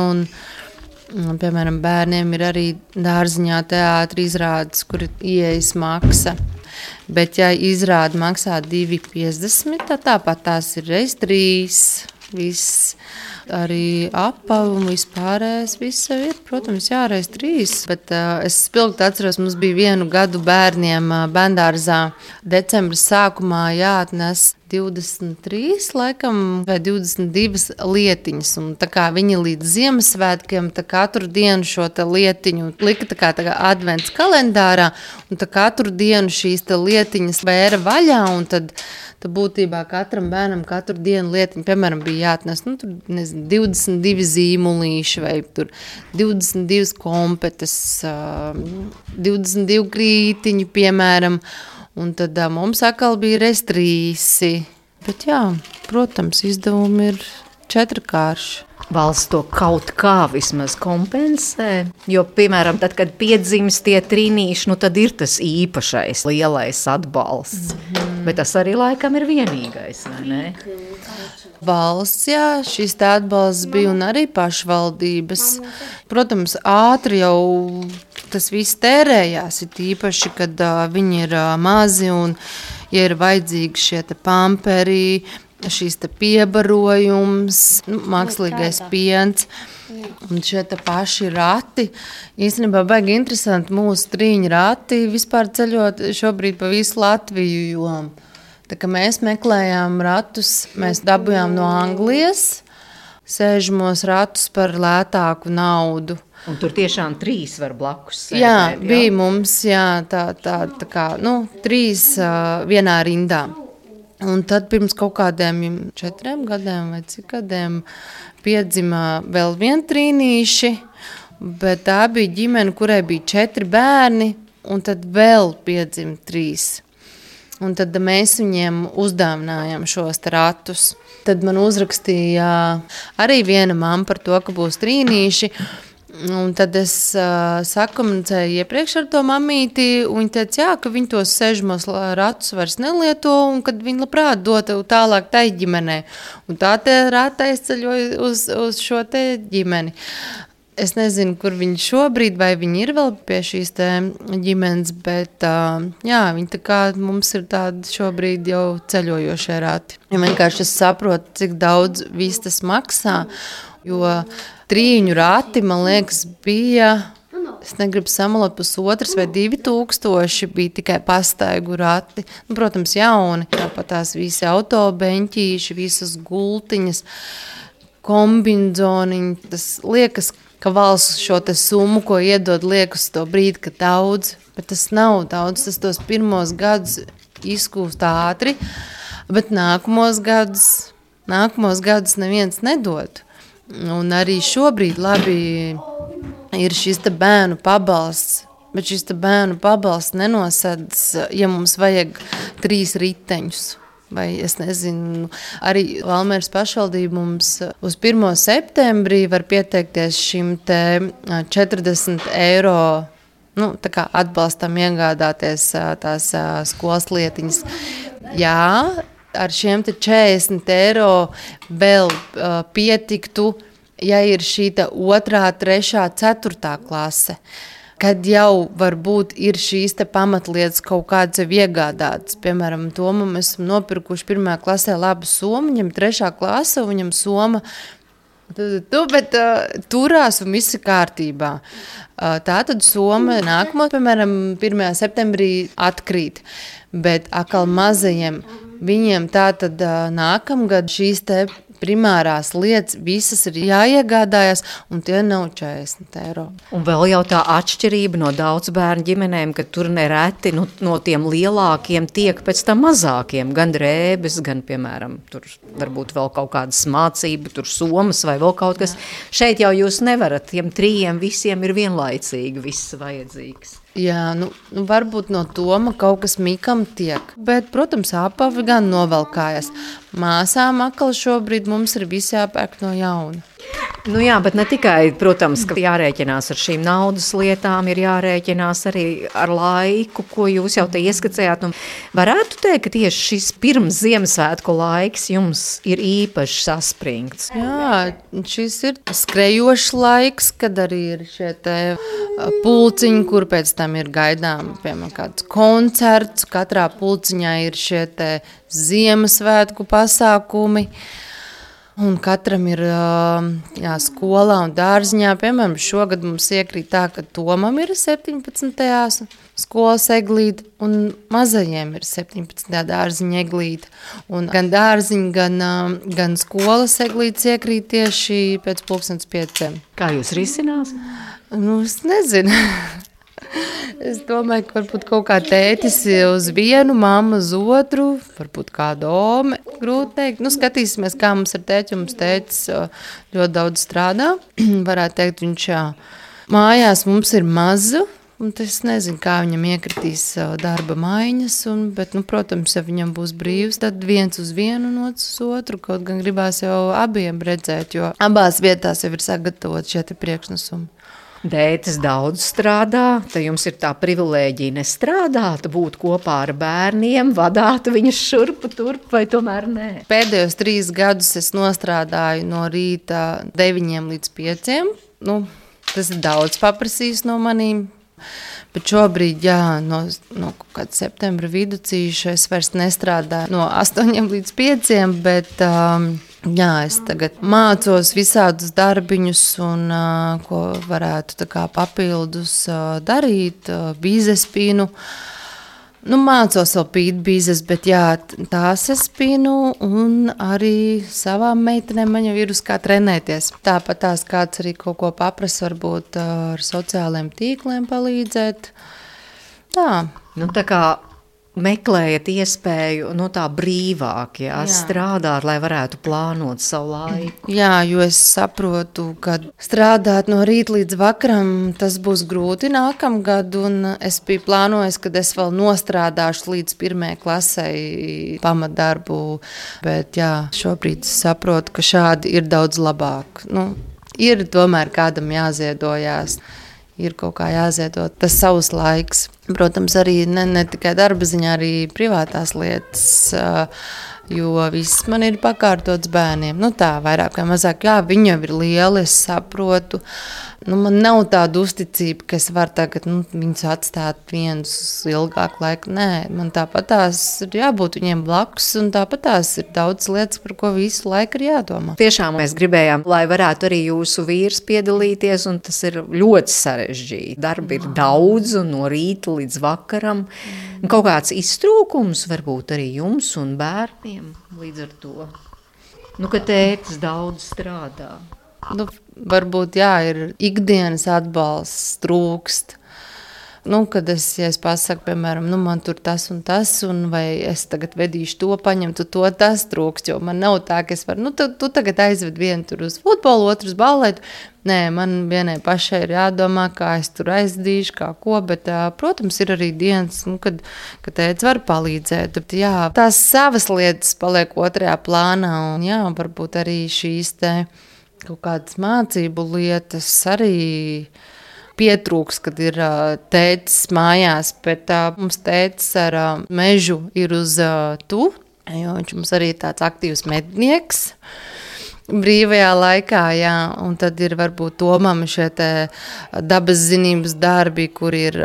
piemēram, bērniem ir arī dārziņā teātri izrādes, kur ir ieejas maksa. Bet, ja izrāde maksā 2,50, tad tāpat tās ir reiz 3, viss arī apavi un vispārējais viss ir, protams, reiz 3. Bet es spilgti atceros, mums bija 1 gadu bērniem bērndārzā decembra sākumā jāatnes 23, laikam, vai 22 lietiņas. Un tā kā viņi līdz Ziemassvētkiem katru dienu šo te lietiņu lika tā kā advents kalendārā, un katru dienu šīs te lietiņas vēra vaļā, un tad būtībā katram bērnam katru dienu lietiņu, piemēram, bija jāatnes, 22 zīmulīši, vai tur 22 kompetes, 22 krītiņu, piemēram, un tad mums atkal bija reiz 3. Bet jā, protams, izdevumi ir 4kārši. Valsts to kaut kā vismaz kompensē, jo, piemēram, tad, kad piedzimst tie trīnīši, tad ir tas īpašais lielais atbalsts. Bet tas arī laikam ir vienīgais, vai ne? Valsts, jā, šis tā atbalsts bija un arī pašvaldības. Protams, ātri jau tas viss tērējās, ir īpaši, kad viņi ir mazi un, ja ir vajadzīgi šie te pamperi, šīs te piebarojums, mākslīgais piens un šie te paši rati. Īstenībā baigi interesanti mūsu trīņu rati vispār ceļot šobrīd pa visu Latviju, jo tā kā mēs meklējām ratus, mēs dabujām no Anglijas, sēžamos ratus par lētāku naudu. Un tur tiešām 3 var blakus sēdēt. Jā, bija mums tā kā 3 vienā rindā. Un tad pirms kaut kādiem 4 gadiem vai cik gadiem piedzima vēl viena trīnīši, bet tā bija ģimene, kurai bija 4 bērni, un tad vēl piedzima 3. Un tad mēs viņiem uzdāvinājām šos ratus. Tad man uzrakstīja arī viena mamma par to, ka būs trīnīši. Un tad es sakomunicēju iepriekš ar to mammīti, un viņa teica, jā, ka viņi tos 6 ratus vairs nelieto, un kad viņi labprāt dotu tālāk tai ģimenei. Un tā te rata aizceļoja uz šo te ģimeni. Es nezinu, kur viņi šobrīd, vai viņi ir vēl pie šīs te ģimenes, bet jā, viņi tā kā mums ir tādi šobrīd jau ceļojošie rati. Ja vienkārši es saprotu, cik daudz viss tas maksā, jo 3 rati, man liekas, bija, es negribu samalot, 1,5 vai 2,000 bija tikai pastaigu rati. Nu, protams, jauni, tāpat tās visi autobeņķīši, visas gultiņas, kombinzoniņi. Tas liekas, ka valsts šo te summu, ko iedod, liekas to brīdi, ka daudz, bet tas nav daudz. Tas tos pirmos gadus izkūst ātri, bet nākamos gadus neviens nedod. Un arī šobrīd labi ir šis te bērnu pabalsts, bet šis te bērnu pabalsts nenosedz, ja mums vajag 3 riteņus. Vai es nezinu, arī Valmieras pašvaldība mums uz 1. septembrī var pieteikties šim te 40 eiro, tā kā atbalstam iegādāties tās skolas lietiņas. Jā, ar šiem te 40 eiro vēl pietiktu, ja ir šī 2., 3., 4. klase, kad jau varbūt ir šīs te pamatlietas kaut kādas jau iegādātas. Piemēram, Tomu mēs esam nopirkuši 1. klasē labu somu, viņam 3. klase, viņam soma, bet turās un viss ir kārtībā. Tātad soma nākamo, piemēram, 1. septembrī atkrīt, bet atkal mazajiem viņiem tātad nākamgad šīs te primārās lietas visas ir jāiegādājas, un tie nav 40 eiro. Un vēl jau tā atšķirība no daudz bērnu ģimenēm, ka tur nereti no tiem lielākiem tiek pēc tam mazākiem, gan drēbes, gan, piemēram, tur varbūt vēl kaut kādas mācība, tur somas vai vēl kaut kas. Šeit jau jūs nevarat, tiem 3 visiem ir vienlaicīgi viss vajadzīgs. Jā, varbūt no Toma kaut kas mikam tiek, bet, protams, apavi gan novelkājas. Māsām atkal šobrīd mums ir visi jāpērk no jauna. Jā, bet ne tikai, protams, ka jārēķinās ar šīm naudas lietām, ir jārēķinās arī ar laiku, ko jūs jau te ieskicējāt. Varētu teikt, ka tieši šis pirms Ziemassvētku laiks jums ir īpaši saspringts. Jā, šis ir skrejošs laiks, kad arī ir šie te pulciņi, kur pēc tam ir gaidām, piemēram, kāds koncerts. Katrā pulciņā ir šie te Ziemassvētku pasākumi. Un katram ir skolā un dārziņā. Piemēram, šogad mums iekrīt tā, ka Tomam ir 17. skolas eglīte un mazajiem ir 17. dārziņa eglīte. Un gan dārziņa, gan skolas eglītes iekrīt tieši pēc 5:30. Kā jūs risinās? Es nezinu. Es domāju, ka varbūt kaut kā tētis uz vienu, mamma uz otru, varbūt kāda ome, grūti teikt. Skatīsimies, kā mums ar tēti, mums tētis ļoti daudz strādā. Varētu teikt, viņš mājās mums ir mazu, un es nezinu, kā viņam iekritīs darba maiņas, bet, protams, ja viņam būs brīvs, tad viens uz vienu un otrs uz otru, kaut gan gribās jau abiem redzēt, jo abās vietās jau ir sagatavot šie te priekšnesumi. Dētis daudz strādā, tad jums ir tā privilēģija nestrādāt, būt kopā ar bērniem, vadāt viņus šurpu turp, vai tomēr nē? Pēdējos 3 gadus es nostrādāju no rīta 9 līdz 5. Tas ir daudz paprasījis no manīm. Bet šobrīd, no kāda septembra viducīša es vairs nestrādāju no 8 līdz 5, bet es tagad mācos visādus darbiņus, un ko varētu tā kā papildus darīt, bizespīnu. Mācos vēl pītbīzes, bet jā, tās es pinu un arī savām meitenēm man jau ir uz kā trenēties. Tāpat tās kāds arī kaut ko paprasa, varbūt ar sociālajiem tīkliem palīdzēt. Tā. Tā kā meklējat iespēju tā brīvāk, strādāt, lai varētu plānot savu laiku. Jā, jo es saprotu, ka strādāt no rīta līdz vakaram, tas būs grūti nākamgad, un es biju plānojis, ka es vēl nostrādāšu līdz 1. klasei pamatdarbu, bet jā, šobrīd es saprotu, ka šādi ir daudz labāk. Ir tomēr kādam jāziedojās. Ir kaut kā jāziedo tas savs laiks. Protams, arī ne tikai darba ziņā, arī privātās lietas, jo viss man ir pakārtots bērniem. Tā, vairāk vai mazāk, jā, viņi jau ir lieli, es saprotu. Man nav tāda uzticība, ka es varu tagad viņus atstāt vienus ilgāku laiku. Nē, man tāpat tās ir jābūt viņiem blakus, un tāpat tās ir daudz lietas, par ko visu laiku ir jādomā. Tiešām mēs gribējām, lai varētu arī jūsu vīrs piedalīties, un tas ir ļoti sarežģīti. Darba ir daudz, un no rīta līdz vakaram. Kaut kāds iztrūkums varbūt arī jums un bērniem līdz ar to. Ka tētis daudz strādā. Varbūt, jā, ir ikdienas atbalsts, trūkst. Kad es pasaku, piemēram, man tur tas un tas, vai es tagad vedīšu to, paņemtu to, tas trūkst, jo man nav tā, ka es varu, tu tagad aizved vienu tur uz futbolu, otru uz balletu. Nē, man vienai pašai ir jādomā, kā es tur aizdīšu, kā ko, bet, protams, ir arī dienas, kad tēvs var palīdzēt. Bet, jā, tās savas lietas paliek otrajā plānā, un jā, varbūt arī šīs kaut kādas mācību lietas arī pietrūks, kad ir tētis mājās, bet mums tētis ar mežu ir uz tu, jo viņš mums arī ir tāds aktīvs mednieks. Brīvajā laikā, jā, un tad ir varbūt Tomam šie dabas zinības darbi, kur ir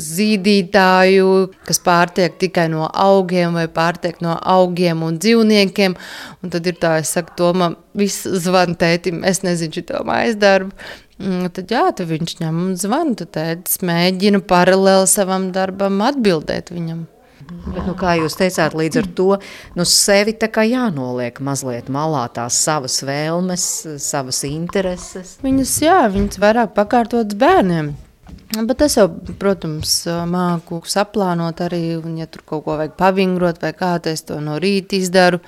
zīdītāju, kas pārtiek tikai no augiem vai pārtiek no augiem un dzīvniekiem, un tad ir tā, es saku Tomam, viss zvan tētim, es nezinu šito mājas darbu, tad jā, tad viņš ņem un zvan, tad tētis mēģina paralēli savam darbam atbildēt viņam. Bet, kā jūs teicāt, līdz ar to sevi tā kā jānoliek mazliet malā tās savas vēlmes, savas intereses. Viņas vairāk pakārtotas bērniem. Bet es jau, protams, māku saplānot arī, un ja tur kaut ko vajag pavingrot vai kā, es to no rīta izdaru,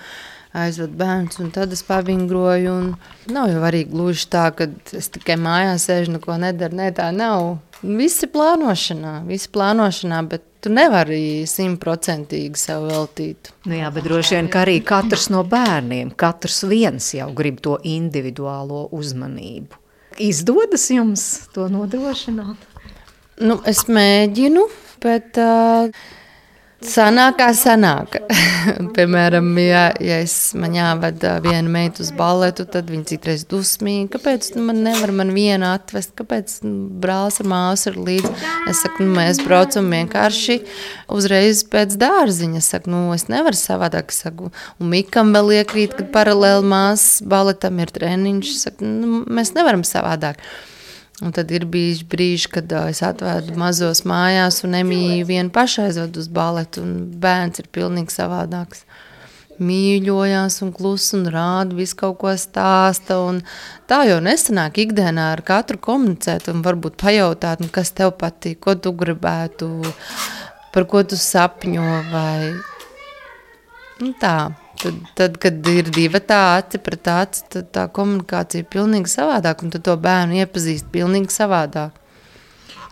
aizved bērns, un tad es pavingroju, un nav jau arī gluži tā, ka es tikai mājās sēžu, neko nedaru, tā nav. Visi plānošanā, bet tu nevari 100% sev veltīt. Jā, bet droši vien, ka arī katrs no bērniem, katrs viens jau grib to individuālo uzmanību. Izdodas jums to nodrošināt? Es mēģinu, bet sanāk. Piemēram, ja man jāved viena meita uz balletu, tad viņa citreiz dusmīgi. Kāpēc man nevar viena atvest? Kāpēc brālis ar māsu ir līdzi? Es saku, mēs braucam vienkārši uzreiz pēc dārziņa. Es saku, es nevaru savādāk. Saku, un Mikam vēl iekrīt, kad paralēli māsas balletam ir treniņš. Saku, mēs nevaram savādāk. Un tad ir bijuši brīži, kad es atvedu mazos mājās un Emīju vienu pašu aizvedu uz balletu, un bērns ir pilnīgi savādāks. Mīļojās un klus un rāda, visu kaut ko stāsta, un tā jau nesanāk ikdienā ar katru komunicēt un varbūt pajautāt, kas tev patīk, ko tu gribētu, par ko tu sapņo, vai tā. Tad, kad ir divi aci pret aci, tad tā komunikācija ir pilnīgi savādāk, un tad to bērnu iepazīst pilnīgi savādāk.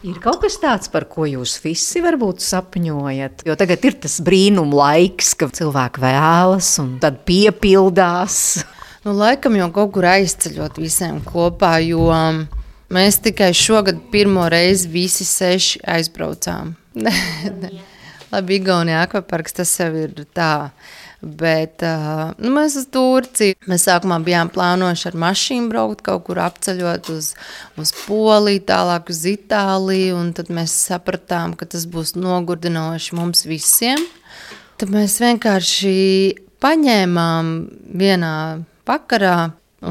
Ir kaut kas tāds, par ko jūs visi varbūt sapņojat? Jo tagad ir tas brīnum laiks, ka cilvēki vēlas un tad piepildās. Laikam jau kaut kur aizceļot visiem kopā, jo mēs tikai šogad pirmo reizi visi 6 aizbraucām. Labi, Igaunijā akvaparks, tas jau ir tā. Bet mēs uz Turciju. Mēs sākumā bijām plānojuši ar mašīnu braukt, kaut kur apceļot uz Poliju, tālāk uz Itāliju, un tad mēs sapratām, ka tas būs nogurdinoši mums visiem. Tad mēs vienkārši paņēmām vienā vakarā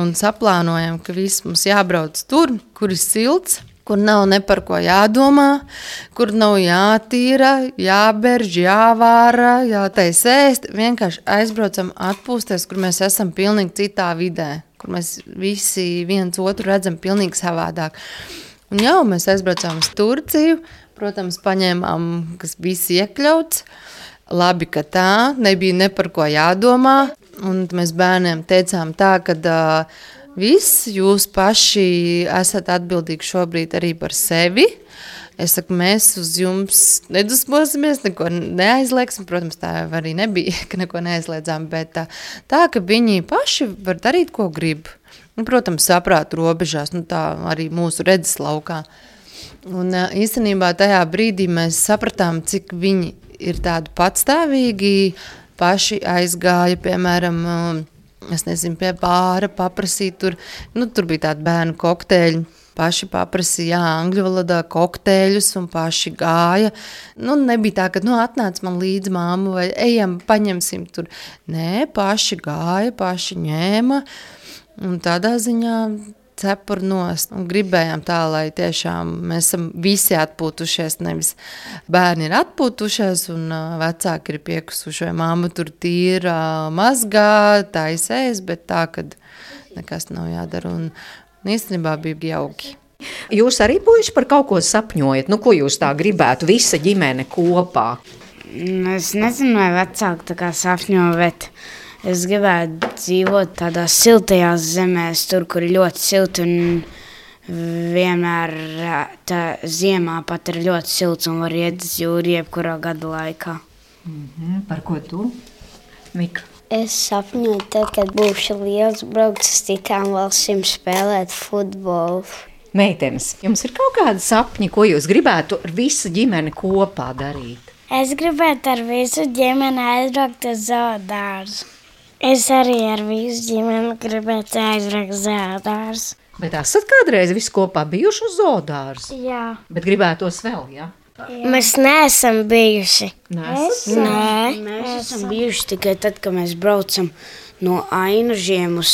un saplānojam, ka viss mums jābrauc tur, kur ir silts, kur nav ne par ko jādomā, kur nav jātīra, jāberž, jāvāra, jātais ēst. Vienkārši aizbraucam atpūsties, kur mēs esam pilnīgi citā vidē, kur mēs visi viens otru redzam pilnīgi savādāk. Un jau mēs aizbraucām uz Turciju, protams, paņēmām, kas viss iekļauts. Labi, ka tā, nebija ne par ko jādomā. Un mēs bērniem teicām tā, ka viss jūs paši esat atbildīgi šobrīd arī par sevi. Es saku, mēs uz jums nedusmosimies, neko neaizlieksim. Protams, tā arī nebija, ka neko neaizliedzām, bet tā, ka viņi paši var darīt, ko grib. Un, protams, saprāta robežās, tā arī mūsu redzes laukā. Un īstenībā tajā brīdī mēs sapratām, cik viņi ir tādi patstāvīgi, paši aizgāja, piemēram, es nezinu, pie bāra paprasīt tur, tur bija tādi bērnu kokteļi, paši paprasīja, angļu valodā kokteļus un paši gāja. Nebija tā, ka, atnāc man līdz māmu vai ejam, paņemsim tur. Nē, paši gāja, paši ņēma un tādā ziņā cepur nost un gribējām tā, lai tiešām mēs esam visi atpūtušies, nevis bērni ir atpūtušies un vecāki ir piekusuši, vai mamma tur tīra mazgā, taisēs, bet tā, kad nekas nav jādara un īstenībā bija jauki. Jūs arī puiši par kaut ko sapņojat? Ko jūs tā gribētu, visa ģimene kopā? Es nezinu, vai vecāki tā kā sapņo, bet es gribētu dzīvot tādās siltajās zemēs, tur, kur ir ļoti silti un vienmēr tā ziemā pat ir ļoti silts un var iet uz jūru jebkurā gada laikā. Par ko tu, Mika? Es sapņoju, tad, kad būšu liels, braukt uz citām valstīm spēlēt futbolu. Meitenes, jums ir kaut kādi sapņi, ko jūs gribētu ar visu ģimeni kopā darīt? Es gribētu ar visu ģimeni aizbraukt uz zoodārzu. Es arī ar visu ģimeni gribētu aizbraukt uz zoodārzu. Bet esat kādreiz visi kopā bijuši uz zoodārzu? Jā. Bet gribētos vēl, jā? Mēs neesam bijuši. Mēs esam bijuši tikai tad, kad mēs braucam no Ainažiem uz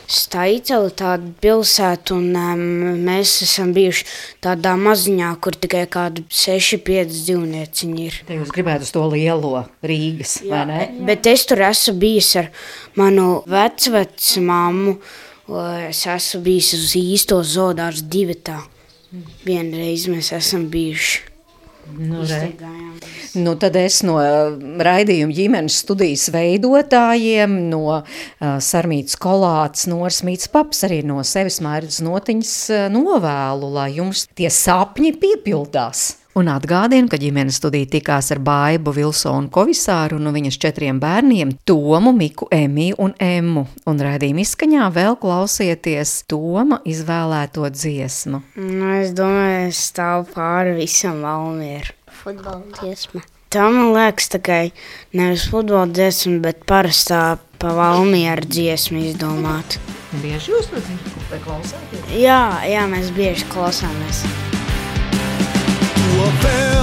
Staicelu, tādu pilsētu, un mēs esam bijuši tādā maziņā, kur tikai kādu 6-5 dzīvnieciņi ir. Te jūs gribētu uz to lielo Rīgas, vai ne? Bet es tur esmu bijis ar manu vecmammu, es esmu bijis uz īsto zoodārzu Divetā. Vienreiz mēs esam bijuši. Tad es no raidījuma ģimenes studijas veidotājiem, no Sarmītas Kolātes, Noras Mītas paps, arī no sevis Mairidas Notiņas novēlu, lai jums tie sapņi piepildās. Un atgādinu, ka ģimenes studija tikās ar Baibu Vilsonu Kovisāru un viņas 4 bērniem Tomu, Miku, Emiju un Emmu. Un raidījuma izskaņā vēl klausieties Toma izvēlēto dziesmu. Es domāju, es stāvu pāri visam Valmieru. Futbola dziesma. Tā man liekas tikai nevis futbola dziesma, bet parastā pa Valmieru dziesmu izdomāt. Bieži jūs to dzirdat vai klausāties? Jā, mēs bieži klausāmies. Tua fé